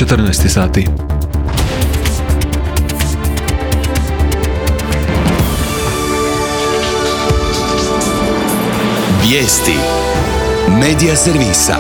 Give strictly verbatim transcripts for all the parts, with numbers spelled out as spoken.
četrnaest sati. Vijesti Medija servisa.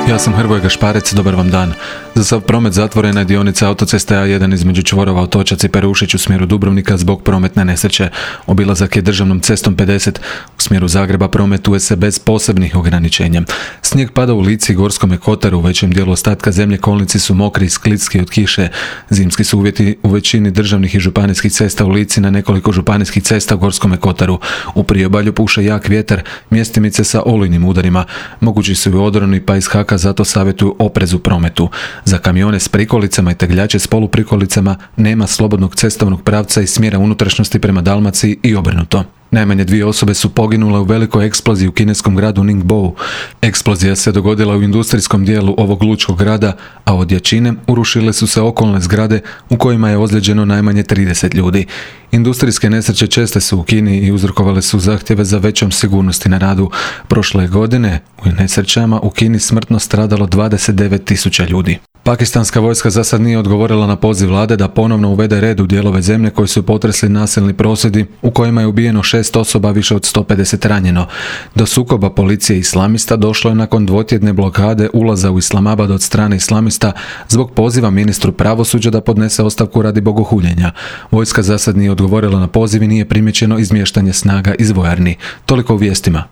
Ja sam Hrvoje Gašparec, dobar vam dan. Za sav promet zatvorena je dionica autoceste A jedan između čvorova Otočac i Perušić u smjeru Dubrovnika zbog prometne nesreće. Obilazak je državnom cestom pedeset. U smjeru Zagreba prometuje se bez posebnih ograničenja. Snijeg pada u Lici i Gorskome Kotaru, u većem dijelu ostatka zemlje kolnici su mokri i sklizki od kiše. Zimski su uvjeti u većini državnih i županijskih cesta u Lici, na nekoliko županijskih cesta u Gorskome Kotaru. U priobalju puše jak vjetar, mjestimice sa olujnim udarima. Mogući su i odroni, pa iz Haka zato savjetuju oprez u prometu. Za kamione s prikolicama i tegljače s poluprikolicama nema slobodnog cestovnog pravca iz smjera unutrašnjosti prema Dalmaciji i obrnuto. Najmanje dvije osobe su poginule u velikoj eksploziji u kineskom gradu Ningbo. Eksplozija se dogodila u industrijskom dijelu ovog lučkog grada, a od jačine urušile su se okolne zgrade u kojima je ozlijeđeno najmanje trideset ljudi. Industrijske nesreće česte su u Kini i uzrokovale su zahtjeve za većom sigurnosti na radu. Prošle godine u nesrećama u Kini smrtno stradalo dvadeset devet tisuća ljudi. Pakistanska vojska za sad nije odgovorila na poziv vlade da ponovno uvede red u dijelove zemlje koji su potresli nasilni prosvjedi u kojima je ubijeno šest osoba, više od sto pedeset ranjeno. Do sukoba policije i islamista došlo je nakon dvotjedne blokade ulaza u Islamabad od strane islamista zbog poziva ministru pravosuđa da podnese ostavku radi bogohuljenja. Vojska za sad nije odgovorila na poziv i nije primjećeno izmještanje snaga iz vojarni. Toliko u vijestima.